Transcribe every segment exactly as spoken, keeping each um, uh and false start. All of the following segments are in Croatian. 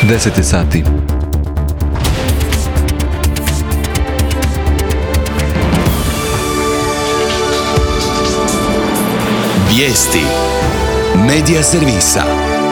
deset je sati. Vijesti Medija servisa.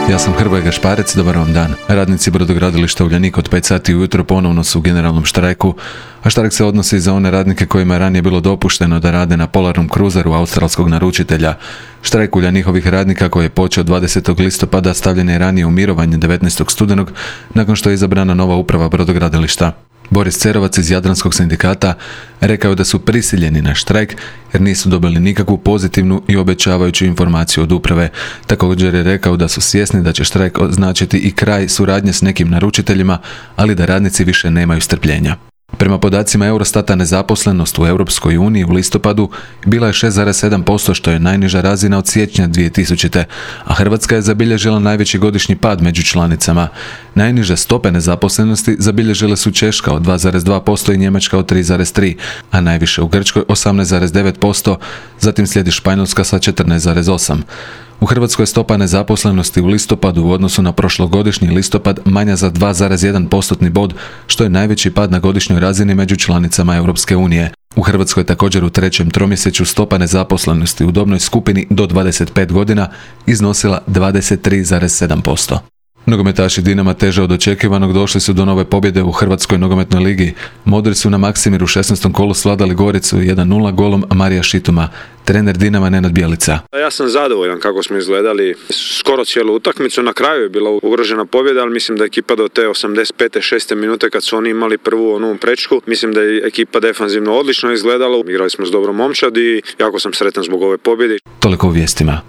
Ja sam Hrvoje Gašparec, dobar vam dan. Radnici brodogradilišta Uljanik od pet sati ujutro ponovno su u generalnom štrajku, a štrajk se odnosi za one radnike kojima je ranije bilo dopušteno da rade na polarnom kruzeru australskog naručitelja. Štrajk Uljanikovih radnika koji je počeo dvadesetog listopada stavljen je ranije u mirovanje devetnaestog studenog nakon što je izabrana nova uprava brodogradilišta. Boris Cerovac iz Jadranskog sindikata rekao da su prisiljeni na štrajk jer nisu dobili nikakvu pozitivnu i obećavajuću informaciju od uprave. Također je rekao da su svjesni da će štrajk označiti i kraj suradnje s nekim naručiteljima, ali da radnici više nemaju strpljenja. Prema podacima Eurostata, nezaposlenost u Europskoj uniji u listopadu bila je šest zarez sedam posto, što je najniža razina od siječnja dvije tisućite. a Hrvatska je zabilježila najveći godišnji pad među članicama. Najniže stope nezaposlenosti zabilježile su Češka od dva zarez dva posto i Njemačka od tri zarez tri, a najviše u Grčkoj osamnaest zarez devet posto, zatim slijedi Španjolska sa četrnaest zarez osam. U Hrvatskoj je stopa nezaposlenosti u listopadu u odnosu na prošlogodišnji listopad manja za dva zarez jedan postotni bod, što je najveći pad na godišnjoj razini među članicama Europske unije. U Hrvatskoj također u trećem tromjesečju stopa nezaposlenosti u dobnoj skupini do dvadeset pet godina iznosila dvadeset tri zarez sedam posto. Nogometaši Dinama teže od očekivanog došli su do nove pobjede u Hrvatskoj nogometnoj ligi. Modri su na Maksimiru u šesnaestom kolu svladali Goricu jedan nula golom Marija Šituma. Trener Dinama Nenad Bjelica. Ja sam zadovoljan kako smo izgledali skoro cijelu utakmicu. Na kraju je bila ugrožena pobjeda, ali mislim da je ekipa do te osamdeset pete šeste minute kad su oni imali prvu onu prečku, mislim da je ekipa defanzivno odlično izgledala. Igrali smo s dobrom momčad i jako sam sretan zbog ove pobjede. Toliko u vijestima.